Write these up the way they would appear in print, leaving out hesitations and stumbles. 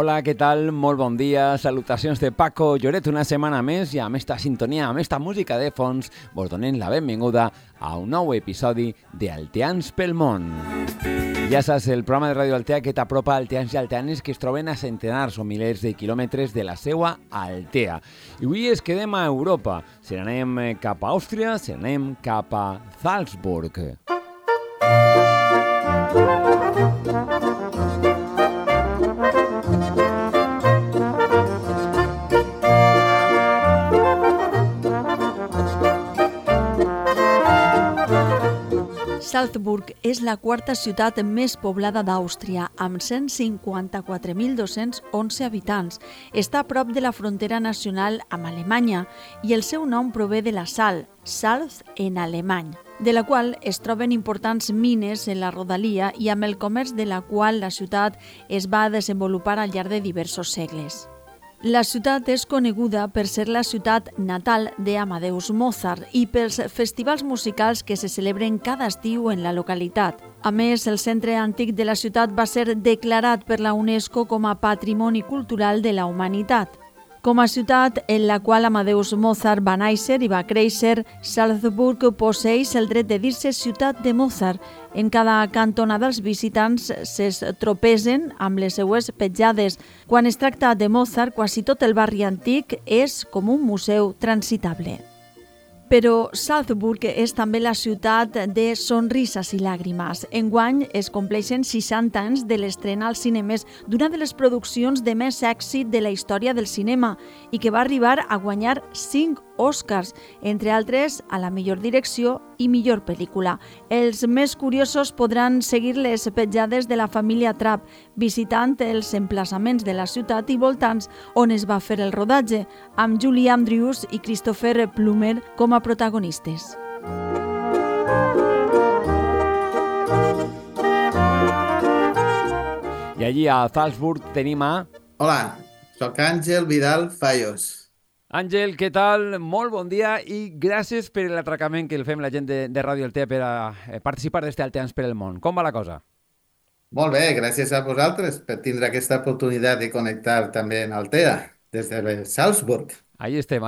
Hola, què tal? Molt bon dia. Salutacions de Paco Lloret una setmana més i amb esta sintonia, amb esta música de fons, vos donem la benvinguda a un nou episodi de Alteans pel món. Ja saps, el programa de Ràdio Altea que t'apropa alteans i alteanes que es troben a centenars o milers de quilòmetres de la seua Altea. I avui es quedem a Europa. Si anem cap a Àustria, si anem cap a Salzburg. Salzburg és la quarta ciutat més poblada d'Àustria, amb 154.211 habitants. Està a prop de la frontera nacional amb Alemanya i el seu nom prové de la sal, Salz en alemany, de la qual es troben importants mines en la rodalia i amb el comerç de la qual la ciutat es va desenvolupar al llarg de diversos segles. La ciutat és coneguda per ser la ciutat natal d'Amadeus Mozart i pels festivals musicals que se celebren cada estiu en la localitat. A més, el centre antic de la ciutat va ser declarat per la UNESCO com a Patrimoni Cultural de la Humanitat. Com a ciutat en la qual Amadeus Mozart va néixer i va créixer, Salzburg posseeix el dret de dir-se ciutat de Mozart. En cada cantonada els visitants es tropesen amb les seues petjades. Quan es tracta de Mozart, quasi tot el barri antic és com un museu transitable. Però Salzburg és també la ciutat de sonrises i làgrimes. Enguany es compleixen 60 anys de l'estrena als cinemes d'una de les produccions de més èxit de la història del cinema i que va arribar a guanyar 5 Oscars, entre altres a la millor direcció i millor pel·lícula. Els més curiosos podran seguir les petjades de la família Trapp visitant els emplaçaments de la ciutat i voltants on es va fer el rodatge, amb Julie Andrews i Christopher Plummer com a protagonistes. I allí a Salzburg tenim a... Hola, soc Àngel Vidal Fallos. Àngel, què tal? Molt bon dia i gràcies per l'atracament que el fem la gent de Ràdio Altea per a participar d'este Alteans per el món. Com va la cosa? Molt bé, gràcies a vosaltres per tindre aquesta oportunitat de connectar també en Altea, des de Salzburg. Ahí estem,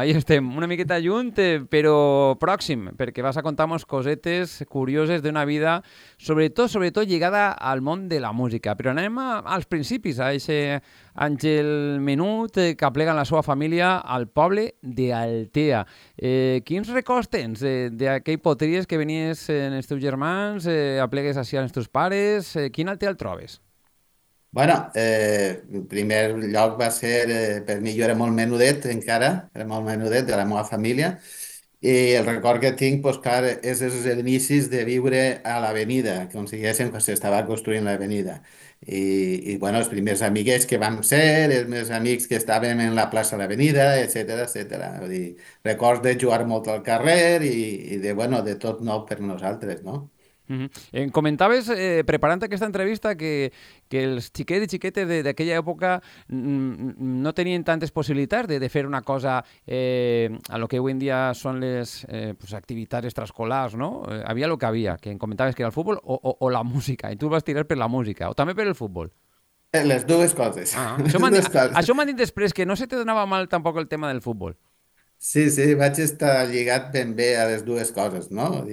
una miqueta lluny, però pròxim, perquè vas a contar-nos cosetes curioses d'una vida, sobretot lligada al món de la música. Però anem als principis, a aquest Àngel menut que aplega la seva família al poble d'Altea. Quins records tens d'aquell potries que venies en els teus germans, aplegues així als teus pares? Quin Altea el trobes? Bueno, en primer lloc va ser, per mi jo era molt menudet encara, era molt menudet de la meva família, i el record que tinc, doncs clar, és els inicis de viure a l'avenida, com diguéssim, quan s'estava construint l'avenida. I bueno, els primers amiguets que vam ser, els meus amics que estàvem en la plaça de l'avenida, etcètera. Vull dir, records de jugar molt al carrer i de tot nou per nosaltres, no? Em comentaves, preparant aquesta entrevista, que els xiquets i xiquetes d'aquella època no tenien tantes possibilitats de fer una cosa a lo que avui en dia són les activitats extraescolars, no? Havia el que havia, que em comentaves que era el futbol o la música, i tu vas tirar per la música, o també per el futbol. Les dues coses. Això m'han dit després, que no se te donava mal tampoc el tema del futbol. Sí, vaig estar lligat ben bé a les dues coses, no?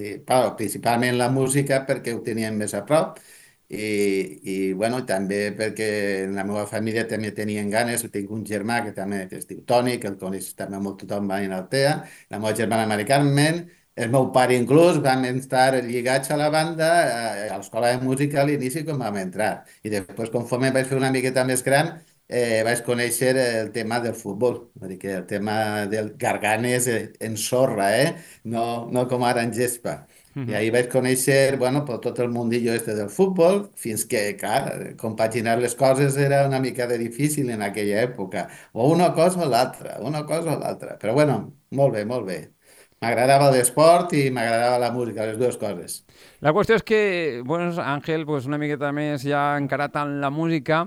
Principalment la música perquè ho teníem més a prop i també perquè en la meva família també tenien ganes. Tinc un germà que també es diu Toni, que el coneix també molt tothom va en Altea, la meva germana Mari Carmen, el meu pare inclús, vam estar lligats a la banda, a l'escola de música a l'inici quan vam entrar. I després, conforme vaig fer una miqueta més gran, vaig conèixer el tema del futbol, vull dir que el tema del garganes en sorra, no com ara en gespa. I ahir vaig conèixer, per tot el mundillo del futbol, fins que, clar, compaginar les coses era una mica de difícil en aquella època. O una cosa o l'altra. Però molt bé. M'agradava l'esport i m'agradava la música, les dues coses. La qüestió és que, bueno, Àngel, pues, una miqueta més ja encarat en la música,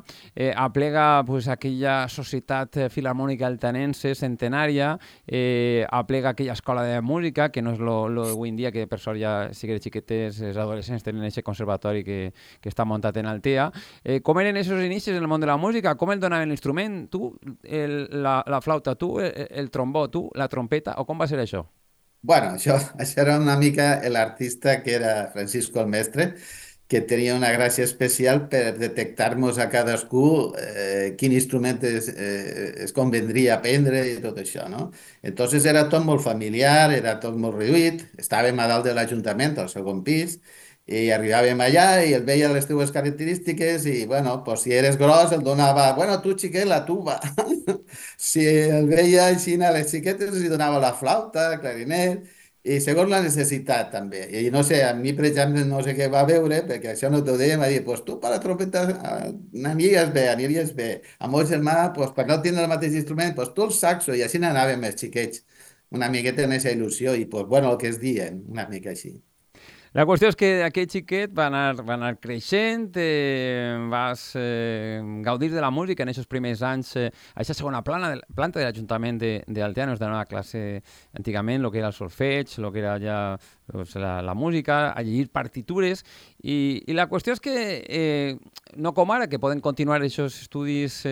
aplega pues, aquella societat filharmònica altanense centenària, aplega aquella escola de música, que no és lo d'avui en dia, que per sort ja sí que els xiquetes, els adolescents tenen aquest conservatori que està muntat en Altea. Com eren aquests inicis en el món de la música? Com el donaven l'instrument? Tu, la flauta, tu, el trombó, tu, la trompeta, o com va ser això? Bueno, això era una mica l'artista que era Francisco el Mestre, que tenia una gràcia especial per detectar-nos a cadascú quin instrument es convendria aprendre i tot això, no? Entonces era tot molt familiar, era tot molt reduït, estàvem a dalt de l'Ajuntament, al segon pis, i arribàvem allà i el veia les teues característiques i, bueno, pues, si eres gros el donava, bueno, tu xiquet, la tuba. Si el veia així a les xiquetes, li donava la flauta, el clarinet, i segons la necessitat també. I no sé, a mi, per exemple, no sé què va veure, perquè això no t'ho deia, em va dir, pues tu per la trompeta aniries bé. Amb el germà, pues, per no tindre el mateix instrument, pues tu el saxo, i així n'anàvem els xiquets, una miqueta en aquesta il·lusió, i pues, bueno, el que es diuen, una mica així. La qüestió és que aquest xiquet va anar creixent, vas gaudir de la música en aquests primers anys, a aquesta segona planta de l'Ajuntament d'Altea, no es donava classe antigament, el que era el solfeig, el que era ja pues, la música, a llegir partitures, i la qüestió és que no com ara, que poden continuar aquests estudis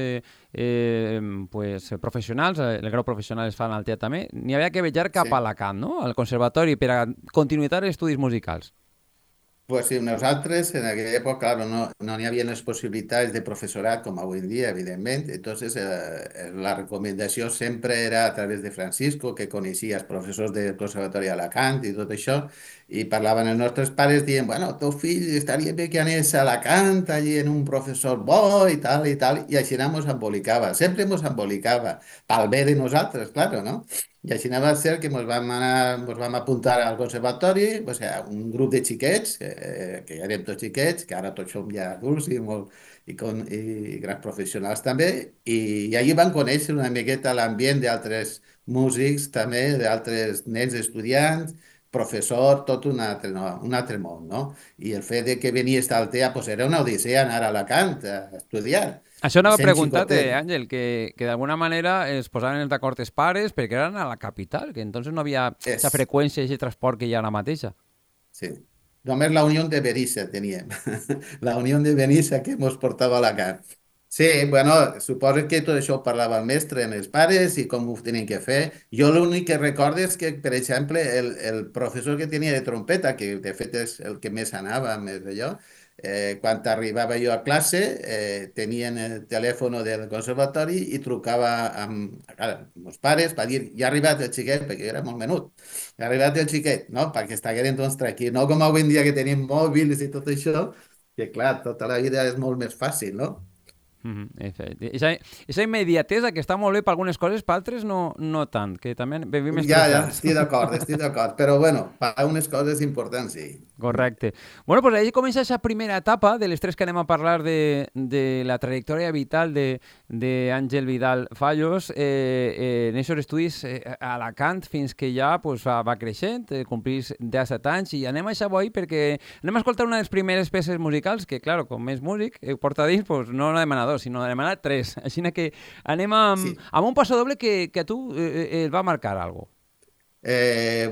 pues, professionals, el grau professional es fa en Altea també, n'hi havia que viatjar cap a Sí. Alacant, no? Al conservatori, per a continuïtat d'estudis musicals. Pues sí, nosaltres en aquella època, claro, no n'hi havia les possibilitats de professorat com avui en dia, evidentment. Entonces, la recomendació sempre era a través de Francisco, que coneixia els professors del Conservatori d'Alacant i tot això, i parlaven els nostres pares dient, bueno, teu fill estaria bé que anés a Alacant, allí en un professor bo i així ens embolicava. Sempre ens embolicava, pel bé de nosaltres, claro, no? I així va ser que ens vam apuntar al conservatori, o sigui, un grup de xiquets, que ja érem tots xiquets, que ara tots som ja adults i grans professionals també, i allí van conèixer una miqueta l'ambient d'altres músics també, d'altres nens estudiants, professor, tot un altre, no, un altre món, no? I el fet de que venies d'Altea, pues era una odissea anar a Alacant a estudiar. Això I anava a sent preguntar-te, xicotet. Àngel, que d'alguna manera es posaven d'acord els pares perquè eren a la capital, que entonces no havia aquesta És, freqüència i aquest transport que hi ha ara mateixa. sí. Només la Unió de Benissa teníem. La Unió de Benissa que ens portava a Alacant. Sí, bueno, suposo que tot això ho parlava el mestre amb els pares i com ho tenien que fer. Jo l'únic que recordo és que, per exemple, el professor que tenia de trompeta, que de fet és el que més anava, més d'allò, quan arribava jo a classe, tenien el telèfon del conservatori i trucava amb els pares per dir, ja ha arribat el xiquet, perquè jo era molt menut, ha arribat el xiquet, no? Perquè estigueren doncs tranquils, no com avui en dia que tenim mòbils i tot això, que clar, tota la vida és molt més fàcil, no? Aquesta immediatesa que està molt bé per algunes coses, per altres no tant, que també vivim Ja, estressats. estic d'acord, però bueno, per unes coses importants sí. Correcte. Bueno, pues ahí comença aquesta primera etapa de les tres que anem a parlar de la trajectòria vital d'Àngel Vidal Fallos en aquests estudis a Alacant fins que ja pues, va creixent, complís 17 anys i anem a això avui perquè anem a escoltar una de les primeres peces musicals que, claro, com és músic, porta dins, pues, no n'ha demanat dos, sinó n'ha demanat tres. Així que anem Sí. amb un passo doble que a tu et va marcar alguna cosa.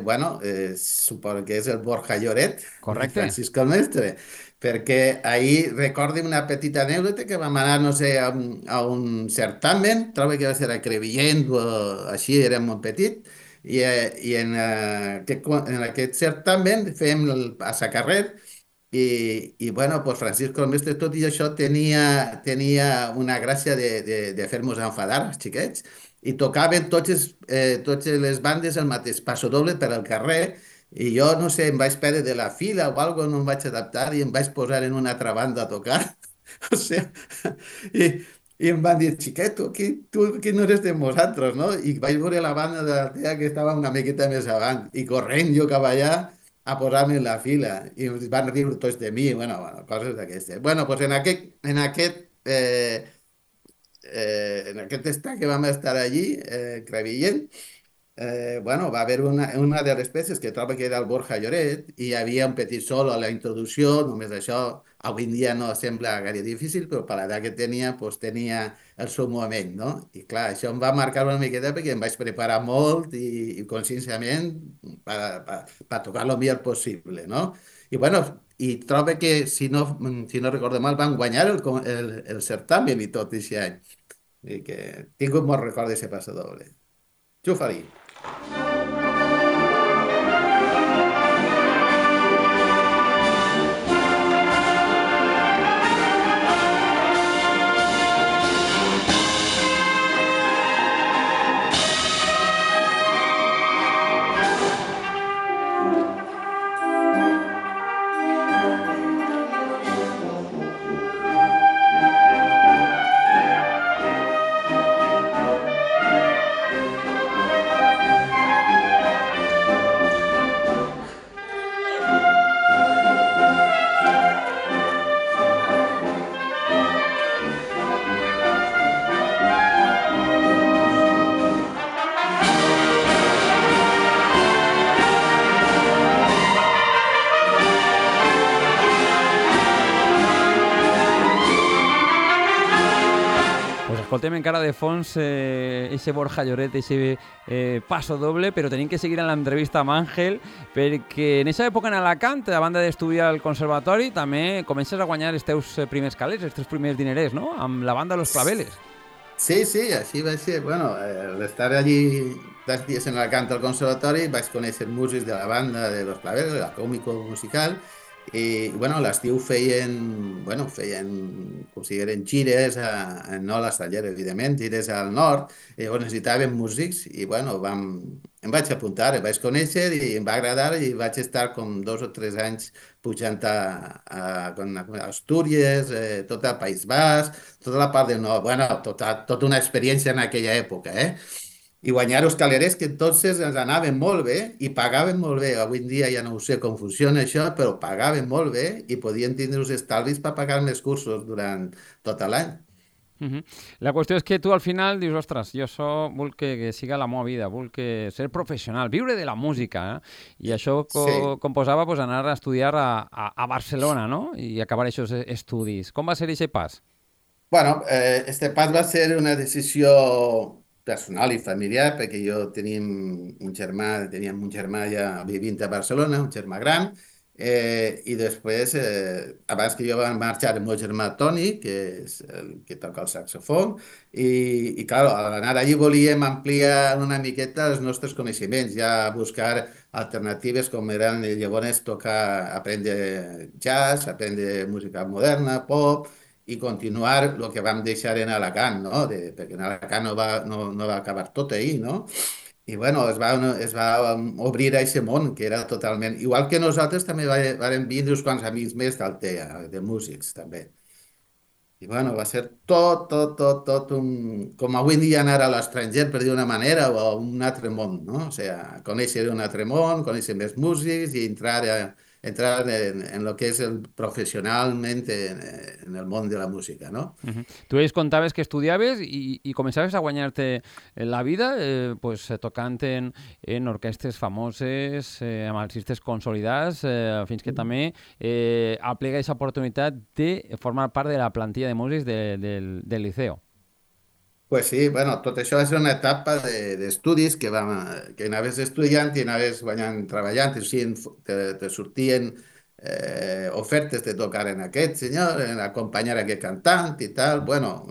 Bueno, suposo que és el Borja Lloret, de Correcte? Francisco el Mestre, perquè ahir recordo una petita anècdota que vam anar, no sé, a un certamen, trobo que va ser a Crevillent o així, era molt petit, i en aquest certamen fem a sa carrer i bueno, pues Francisco el Mestre, tot i això, tenia una gràcia de fer-nos enfadar, els xiquets, i tocaven totes les bandes el mateix passodoble per al carrer, i jo, no sé, em vaig perdre de la fila o alguna cosa, no em vaig adaptar i em vaig posar en una altra banda a tocar. O sigui, i, i em van dir, xiquet, tu aquí no eres de nosaltres, no? I vaig veure la banda de la tea que estava una miqueta més avant, i corrent jo cap allà a posar-me en la fila, i es van riure tots de mi, bueno, coses d'aquestes. Bueno, doncs en aquest estat que vam estar allí, Crevillent, bueno, va haver una de les peces que trobo que era el Borja Lloret i hi havia un petit solo a la introducció, només això avui en dia no sembla gaire difícil, però per l'edat que tenia, doncs tenia el seu moment, no? I clar, això em va marcar una miqueta perquè em vaig preparar molt i conscienciament per tocar el millor possible, no? I bueno, i trobo que, si no recordo mal, van guanyar el certamen i tot aquest any. I que tinc un bon record d'aquest passadoble. Xufa-li. Pues escoltem encara de fons eixe Borja Lloret, eixe paso doble, però tenim que seguir en l'entrevista amb Àngel, perquè en aquesta època en Alacant, a banda d'estudiar al conservatori, també comences a guanyar els teus primers calés, els teus primers dinerers, no?, amb la banda Los Claveles. Sí, sí, així va ser. Bueno, l'estar allí 2 dies en Alacant al conservatori vaig conèixer músics de la banda de Los Claveles, la còmico musical, i bueno, a l'estiu feien, com si eren gires, no a l'estranger, evidentment, gires al nord, i llavors necessitaven músics, i bueno, em vaig apuntar, em vaig conèixer i em va agradar, i vaig estar com 2 o 3 anys pujant a Astúries, tot el País Basc, tota la part del nord, bueno, tota una experiència en aquella època, i guanyar els calerers que entonces ens anaven molt bé i pagaven molt bé. Avui en dia ja no ho sé com funciona això, però pagaven molt bé i podien tindre els estalvis per pagar més cursos durant tot l'any. La qüestió és que tu al final dius, ostres, jo vull que siga la meva vida, vull que ser professional, viure de la música, I això Sí. composava pues, anar a estudiar a Barcelona, no?, i acabar aquests estudis. Com va ser aquest pas? Bueno, este pas va ser una decisió personal i familiar perquè teníem un germà ja vivint a Barcelona, un germà gran, i després, abans que jo vam marxar el meu germà Toni, que és el que toca el saxofon, clar, al anar allí volíem ampliar una miqueta els nostres coneixements, ja buscar alternatives com eren llavors aprendre jazz, aprendre música moderna, pop, i continuar el que vam deixar en Alacant, no? Perquè en Alacant no va acabar tot ahir, no? I bueno, es va obrir a aquest món, que era totalment... Igual que nosaltres també varen vindre uns quants amics més d'Altea, de músics, també. I bueno, va ser tot com avui en dia anar a l'estranger, per dir una manera, o a un altre món, no? O sigui, conèixer un altre món, conèixer més músics i entrar en lo que és professionalment en el món de la música, no? Tu ells contaves que estudiaves i començaves a guanyar-te la vida pues, tocant en orquestres famoses, amb artistes consolidats, fins que també aplega aquesta oportunitat de formar part de la plantilla de músics del Liceo. Pues sí, bueno, tot això va ser una etapa d'estudis que anaves estudiant i anaves guanyant, treballant, o sigui, te sortien ofertes de tocar en aquest senyor, en acompanyar aquest cantant i tal, bueno,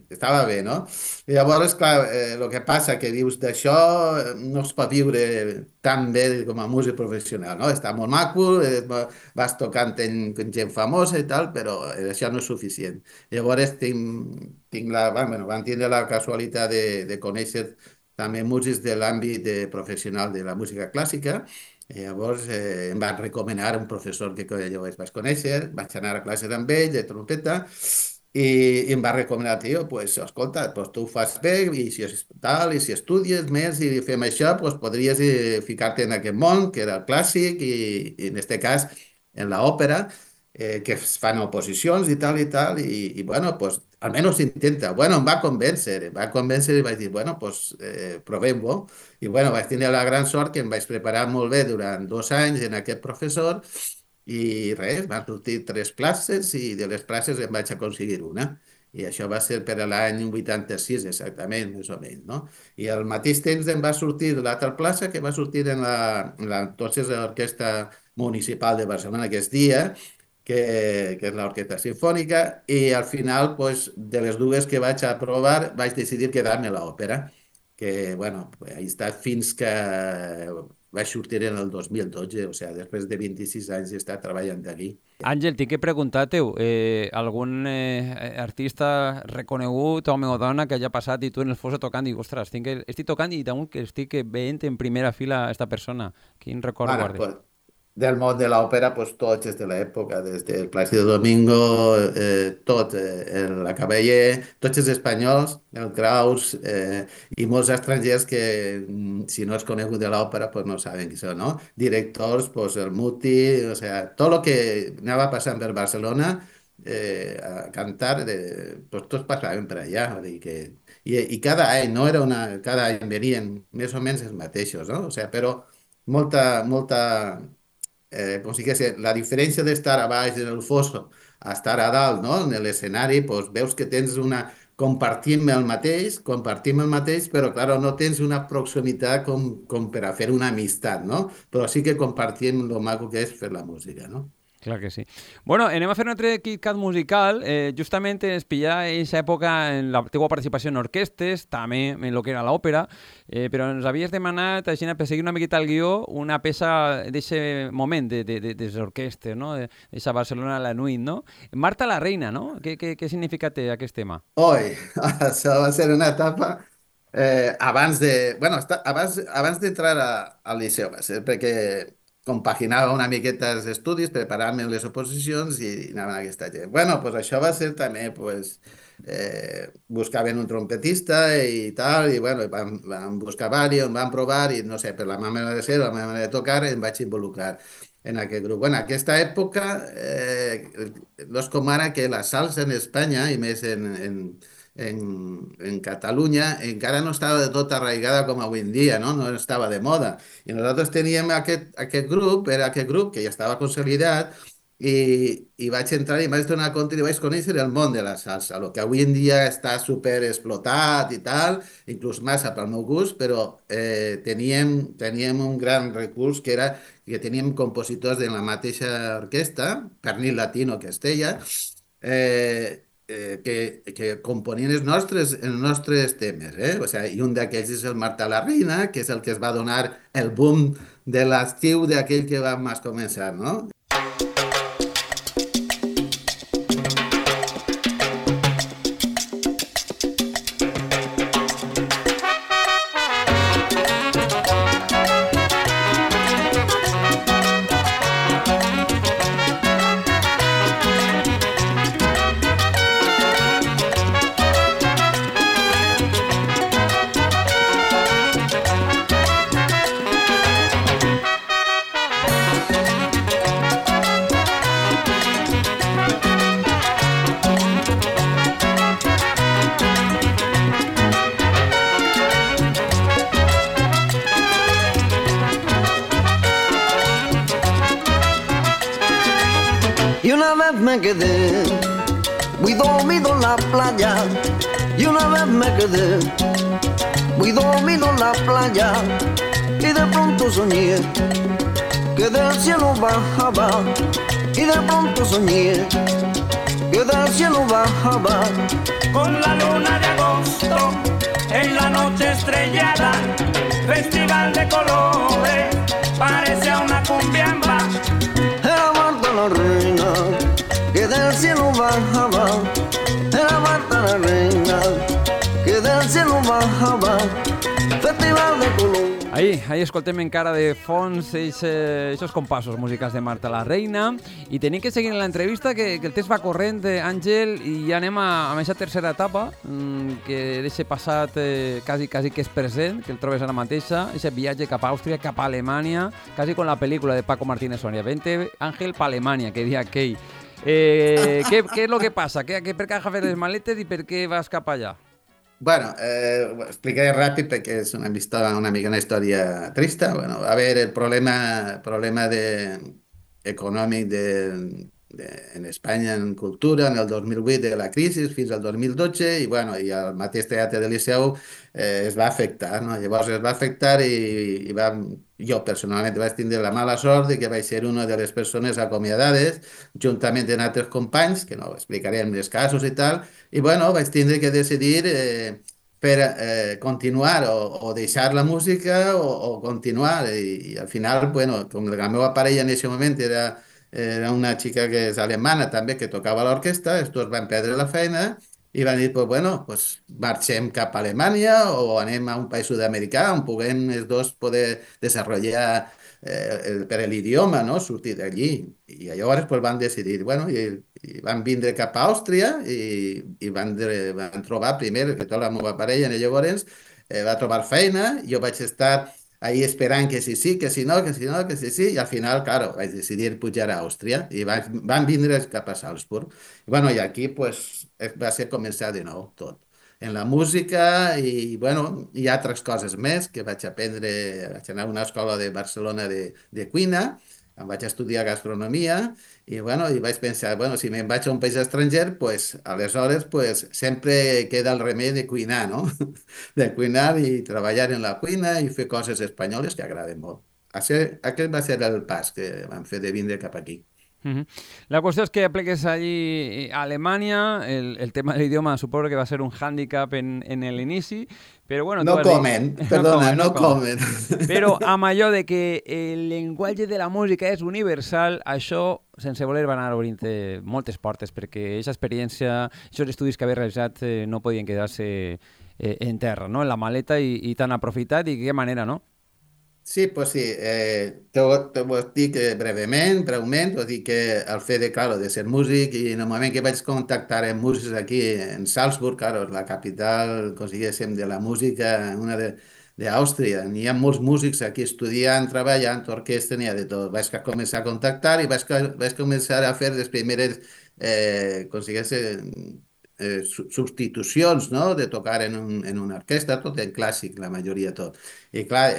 estava bé, no? I llavors, clar, el que passa que dius d'això no es pot viure tan bé com a músic professional, no? Està molt maco, vas tocant amb gent famosa i tal, però això no és suficient. Llavors vam tindre la casualitat de conèixer també músics de l'àmbit professional de la música clàssica. I llavors em van recomanar un professor que jo vaig conèixer, vaig anar a classe amb ell de trompeta i em va recomanar, tio, pues, escolta, pues, tu ho fas bé i si tal, i si estudies més i fem això, pues, podries ficar-te en aquest món, que era el clàssic i en aquest cas en l'òpera. que es fan oposicions i tal, bueno, pues almenys intenta. Bueno, em va convèncer i vaig dir, bueno, pues provem-ho. I bueno, vaig tenir la gran sort que em vaig preparar molt bé durant 2 anys en aquest professor i res, van sortir 3 places i de les places em vaig aconseguir una. I això va ser per a l'any 86, exactament, més o menys, no? I al mateix temps em va sortir l'altra plaça, que va sortir entonces l'Orquestra Municipal de Barcelona, que és DIA, que és l'Orquestra Simfònica, i al final, pues, de les dues que vaig aprovar, vaig decidir quedar-me a l'òpera, que, bueno, he estat fins que vaig sortir en el 2012, o sigui, després de 26 anys he estat treballant aquí. Àngel, tinc que preguntar-te-ho, algun artista reconegut, home o dona, que hagi passat i tu en el fos tocant i dic, ostres, estic tocant i damunt que estic veient en primera fila esta persona. Quin record guardes? Pues, del món de l'òpera, pues, tots des de l'època, des del Plácido Domingo, tot, la Caballé, tots els espanyols, el Kraus, i molts estrangers que, si no és conegut de l'òpera, pues, no saben qui són, no? Directors, pues, el Muti, o sea, tot el que anava passant per Barcelona a cantar, pues, tots passaven per allà, vull dir que... I cada any, no era cada any venien més o menys els mateixos, no? O sea, però molta com si digués, la diferència d'estar a baix en el fosso a estar a dalt, no? En l'escenari, doncs veus que tens compartim el mateix, però, clar, no tens una proximitat com per a fer una amistat, no? Però sí que compartim el maco que és fer la música, no? Clar que sí. Bueno, anem a fer un altre KitKat musical. Justament ens pilla en aquesta època en la teva participació en orquestes, també en el que era l'òpera, però ens havies demanat, així, per seguir una miqueta el guió, una peça d'aquest moment de les orquestes, no? D'aquesta Barcelona a la nuit, no? Marta la Reina, no? Què significa té aquest tema? Oi, això va ser una etapa abans d'entrar al liceu, va ser perquè compaginava una miqueta els estudis, preparant-me les oposicions i anava a aquesta gent. Bueno, pues això va ser també, pues, buscaven un trompetista i tal, i bueno, vam buscar diversos, vam provar i no sé, per la meva manera de ser, la meva manera de tocar, em vaig involucrar en aquest grup. Bueno, aquesta època no és com ara que la salsa en Espanya, i més en Catalunya, encara no estava de tot arraigada com avui en dia, no? No estava de moda. I nosaltres teníem aquest grup, era aquest grup que ja estava consolidat, i vaig entrar i em vaig donar compte i vaig conèixer el món de la salsa, el que avui en dia està super explotat i tal, inclús massa pel meu gust, però teníem un gran recurs que era que teníem compositors de la mateixa orquestra, Pernil Latino que es deia, que componien els nostres temes, O sigui, i un d'aquells és el Marta la Reina, que és el que es va donar el boom de l'estiu d'aquell que vam començar, no? Y una vez me quedé muy dormido en la playa. Y una vez me quedé muy dormido en la playa. Y de pronto soñé que del cielo bajaba. Y de pronto soñé que del cielo bajaba. Con la luna de agosto en la noche estrellada, festival de colores, parece una cumbiamba. Era Marta la Reina que del cielo bajaba. Era Marta la Reina que del cielo bajaba. Festival de colores. Ahí escoltem encara de fons aquests compassos musicals de Marta la Reina i tenim que seguir en l'entrevista que el temps va corrent, Àngel, i ja anem a aquesta tercera etapa que deixa passat quasi que és present, que el trobes ara mateixa, aquest viatge cap a Àustria, cap a Alemanya, quasi com la pel·lícula de Paco Martínez Soria. Vente, Àngel, pa Alemanya, que dia aquell. Què és el que passa? Per què agafes les maletes i per què vas cap allà? Bueno, ho explicaré ràpid perquè és una mica una història trista. Bueno, a veure, el problema econòmic en Espanya en cultura en el 2008 de la crisi fins al 2012 i, bueno, i el mateix Teatre del Liceu es va afectar, no? Llavors es va afectar jo personalment vaig tindre la mala sort de que vaig ser una de les persones acomiadades juntament amb altres companys, que no explicarem els casos i tal, i bueno, vaig tindre que decidir per continuar o deixar la música o continuar i al final, bueno, com la meva parella en aquest moment era una xica que és alemana també, que tocava a l'orquestra, els dos van perdre la feina i van dir, pues, bueno, pues marxem cap a Alemanya o anem a un país sud-americà on puguem els dos poder desenvolupar per l'idioma, no? Sortir d'allí. I llavors pues, van decidir, bueno, i van vindre cap a Àustria i van trobar primer, que tota la meva parella llavors va trobar feina, jo vaig estar ahí esperant que sí, que si no, que si no, que sí, i al final, claro, vaig decidir pujar a Àustria i van vindre cap a Salzburg. I, bueno, i aquí pues, va ser començar de nou tot. En la música i, bueno, hi ha altres coses més que vaig aprendre, vaig anar a una escola de Barcelona de cuina, em vaig estudiar gastronomia i, bueno, i vaig pensar, bueno, si me'n vaig a un país estranger, pues, aleshores pues, sempre queda el remei de cuinar, no? De cuinar i treballar en la cuina i fer coses espanyoles que agraden molt. Aquest va ser el pas que vam fer de vindre cap aquí. La qüestió és que apliques allí a Alemanya, el tema de l'idioma suposo que va ser un hàndicap en l'inici, però bueno... No comen, perdona, no comen. Però amb allò de que el llenguatge de la música és universal, això, sense voler, va anar obrint moltes portes, perquè aquesta experiència, aquests estudis que havia realitzat no podien quedar-se en terra, no? En la maleta i tan aprofitat, i de què manera, no? Sí, pues sí, te ho dic breument, vull dir que el fet de, claro, de ser músic i en el moment que vaig contactar amb músics aquí en Salzburg, claro, la capital, diguéssim, de la música, una d'Àustria, n'hi ha molts músics aquí estudiant, treballant, orquestra, n'hi ha de tot. Vaig començar a contactar i vaig començar a fer les primeres, substitucions, no? De tocar en una orquestra, tot en clàssic, la majoria tot. I clar,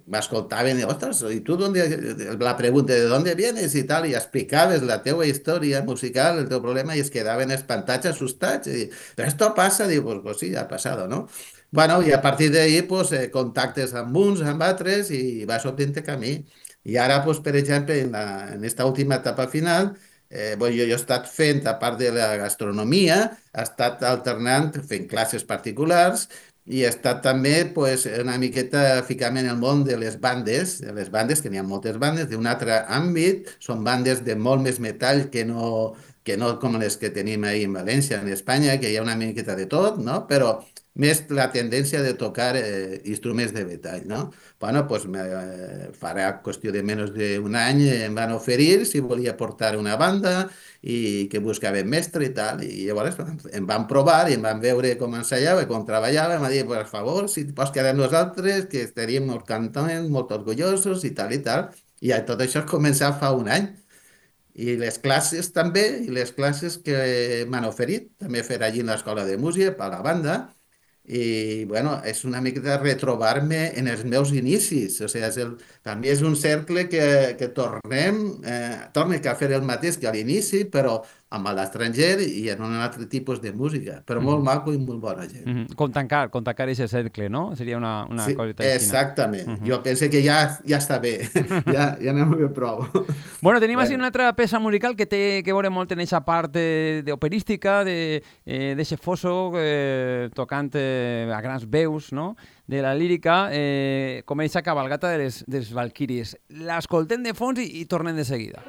m'escoltaven i, ostres, i tu la pregunta de d'on vienes i tal, i explicaves la teua història musical, el teu problema, i es quedaven espantats, assustats, i però esto passa, diu, pues sí, ha passat, no? Bueno, i a partir d'ahí, pues, contactes amb uns, amb altres, i vas obrint camí. I ara, pues, per exemple, en esta última etapa final, jo he estat fent, a part de la gastronomia, he estat alternant, fent classes particulars, i he estat també pues, una miqueta ficant en el món de les bandes, que n'hi ha moltes bandes, d'un altre àmbit, són bandes de molt més metall que no com les que tenim ahir en València, en Espanya, que hi ha una miqueta de tot, no? Però més la tendència de tocar instruments de metall, no? Bueno, pues farà qüestió de menys d'un any em van oferir si volia portar una banda i que buscaven mestre i tal, i llavors em van provar i em van veure com ensaiava i com treballava, em va dir, per favor, si pots quedar amb nosaltres, que estaríem molt contents, molt orgullosos i tal, i tot això es començar fa un any. I les classes també, i les classes que m'han oferit, també fer allí en l'escola de música, per la banda, i bueno, és una mica de retrobar-me en els meus inicis, o sigui, per mi és un cercle que tornem a fer el mateix que a l'inici, però amb l'estranger i en un altre tipus de música, però molt maco i molt bona gent. Com tancar aquest cercle, no? Seria una sí, coseta així. Exactament. Jo penso que ja està bé, ja anem bé prou. Bueno, tenim així una altra peça musical que té que veure molt en aquesta part d'operística, d'eixe foso, tocant a grans veus, no?, de la lírica, com aquesta cabalgata dels Valquíries. L'escoltem de fons i tornem de seguida.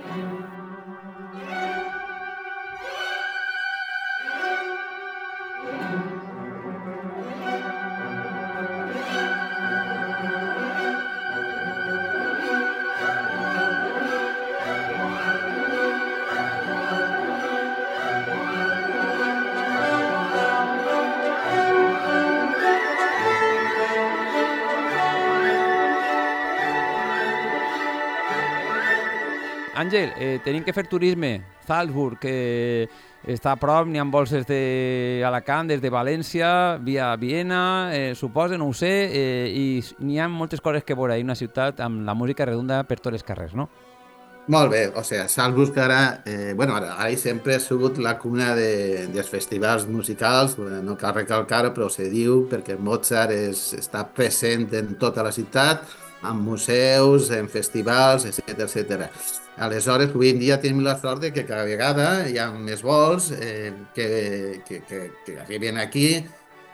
Àngel, tenim que fer turisme Salzburg, que està a prop, n'hi ha vols des d'Alacant, des de València, via Viena, suposo, no ho sé, i n'hi ha moltes coses que veure. Hi una ciutat amb la música redunda per tots els carrers, no? Molt bé, o sigui, Salzburg ara, ara i sempre ha sigut la cuna dels festivals musicals, no cal recalcar-ho, però se diu perquè Mozart està present en tota la ciutat, en museus, en festivals, etc etc. Aleshores, avui en dia tenim la sort de que cada vegada hi ha més vols que arriben aquí,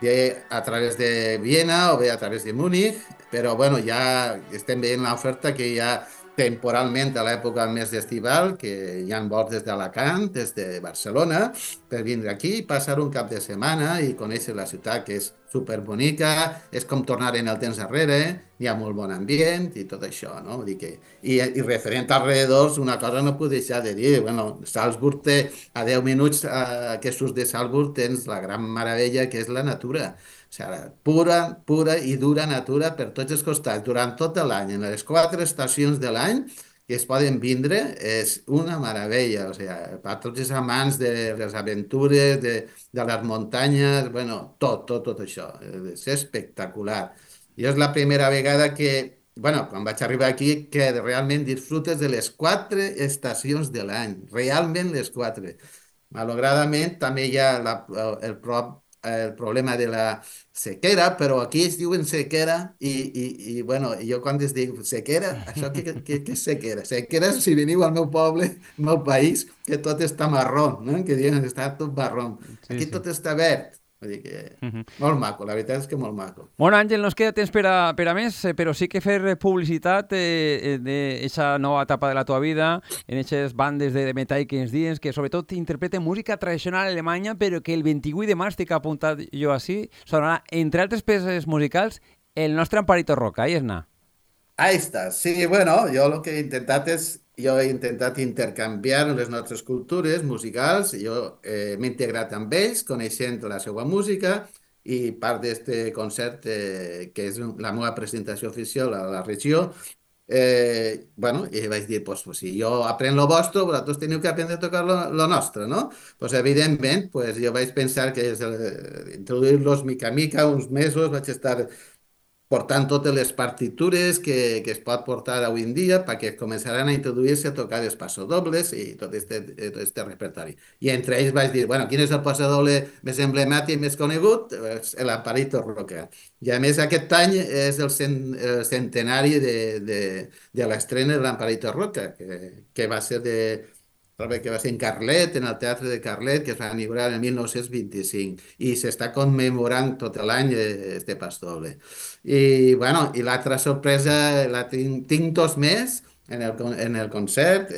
bé a través de Viena o bé a través de Múnich, però bueno, ja estem veient l'oferta que hi ha temporalment a l'època més estival, que hi ha vols des d'Alacant, des de Barcelona, per vindre aquí i passar un cap de setmana i conèixer la ciutat, que és superbonica, és com tornar en el temps enrere, hi ha molt bon ambient i tot això, no? Vull dir que, i referent als alrededors, una cosa no puc deixar de dir, bueno, Salzburg té, a 10 minuts que surts de Salzburg tens la gran meravella que és la natura. O sigui, pura i dura natura per tots els costats, durant tot l'any, en les 4 estacions de l'any que es poden vindre, és una meravella. O sigui, per tots els amants de les aventures, de les muntanyes, bueno, tot això. És espectacular. I és la primera vegada que, bueno, quan vaig arribar aquí, que realment disfrutes de les 4 estacions de l'any, realment les 4. Malauradament, també hi ha el problema de la sequera, però aquí es diuen sequera i bueno, jo quan es dic sequera, això què és sequera? Sequera és si veniu al meu poble, al meu país, que tot està marró, no? Que diuen que està tot marró. Aquí tot està verd. Vull dir que molt maco, la veritat és que molt maco. Bueno, Àngel, no ens queda temps per a més, però sí que fer publicitat d'aquesta nova etapa de la teva vida, en aquestes bandes de metall que ens dius, que sobretot interpreten música tradicional alemanya, però que el 28 de març, que he apuntat jo així, sonarà, entre altres peces musicals, el nostre Amparito Roca. Ahí és-na. Ahí està. Sí, bueno, jo he intentat intercanviar les nostres cultures musicals. Jo m'he integrat amb ells, coneixent la seva música, i part d'aquest concert, que és la meva presentació oficial a la regió, bueno, i vaig dir, pues, si jo aprenc lo vostre, vosaltres teniu que aprendre a tocar lo nostre, no? Pues, evidentment, pues, jo vaig pensar que introduir-los mica a mica, uns mesos, vaig estar portant totes les partitures que es pot portar avui en dia perquè començaran a introduir-se a tocar els passodobles i tot este repertori. I entre ells vaig dir, bueno, quin és el passodoble més emblemàtic, més conegut? L'Amparito Roca. I a més aquest any és el centenari de l'estrena de l'Amparito Roca, que va ser en Carlet, en el Teatre de Carlet, que es va inaugurar en 1925, i s'està commemorant tot l'any este pasdoble. I, bueno, i l'altra sorpresa, tinc 2 més en el concert,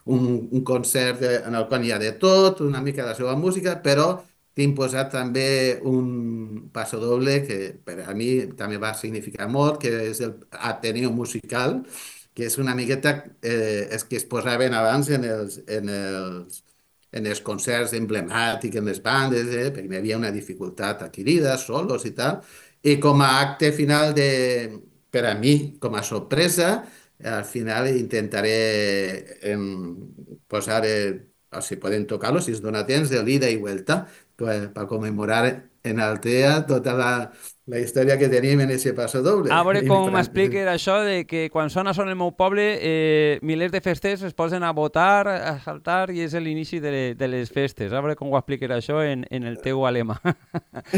un concert en el qual hi ha de tot, una mica de la seva música, però tinc posat també un passodoble que per a mi també va significar molt, que és el Ateneo Musical, que és una miqueta que es posaven abans en els concerts emblemàtics, en les bandes, perquè hi havia una dificultat adquirida, solos i tal, i com a acte final per a mi, com a sorpresa, al final intentaré posar, o si poden tocar-lo, si es dona temps, de l'ida i vuelta, per commemorar en Altea tota la història que tenim en aquest passodoble. A veure com m'expliques això de que quan sona el meu poble, milers de festers es posen a votar, a saltar, i és l'inici de les festes. A veure com ho expliques això en el teu alemà.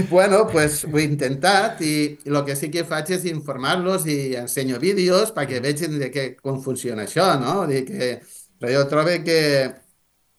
Bueno, pues ho he intentat i el que sí que faig és informar-los i ensenyo vídeos perquè vegin com funciona això, no? Però jo trobo que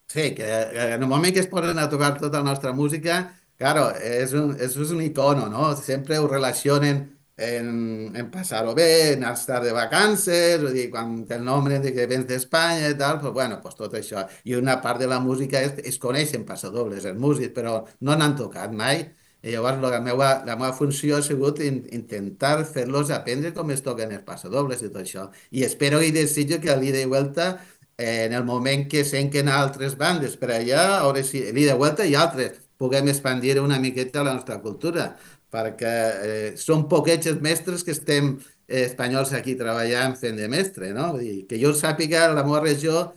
sí, que en el moment que es posen a tocar tota la nostra música, claro, és un icono, no? Sempre ho relacionen en passar-ho bé, en estar de vacances, vull dir, quan el nombre de que vens d'Espanya i tal, pues bueno, pues tot això. I una part de la música es coneixen passadobles, els músics, però no n'han tocat mai. I llavors la meva funció ha sigut intentar fer-los aprendre com es toquen els passadobles i tot això. I espero i desitjo que a l'ida i vuelta, en el moment que senquen altres bandes per allà, a veure si l'ida i vuelta i altres, puguem expandir una miqueta la nostra cultura, perquè són poquets els mestres que estem espanyols aquí treballant fent de mestre, no? Vull dir, que jo sàpiga, la meva regió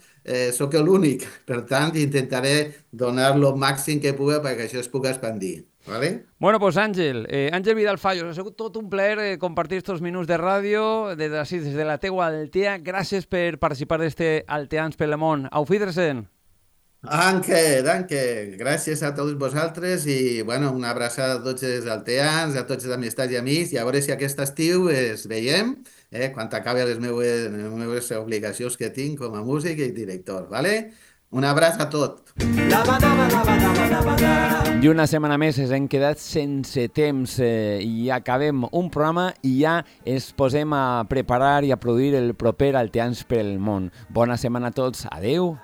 sóc l'únic. Per tant, intentaré donar el màxim que pugui perquè això es pugui expandir. ¿Vale? Bueno, pues Àngel, Àngel Vidal Fallos, ha sigut tot un plaer compartir estos minuts de ràdio des de la teua Altea. Gràcies per participar d'este Alteans pel món. Auf Wiedersehen. Danke. Gràcies a tots vosaltres i bueno, una abraçada a tots els alteans, a tots els amistats i amics i a veure si aquest estiu es veiem quan acabi les meves obligacions que tinc com a músic i director, ¿vale? Un abraç a tot. I una setmana més ens hem quedat sense temps i acabem un programa i ja ens posem a preparar i a produir el proper Alteans pel món. Bona setmana a tots. Adeu.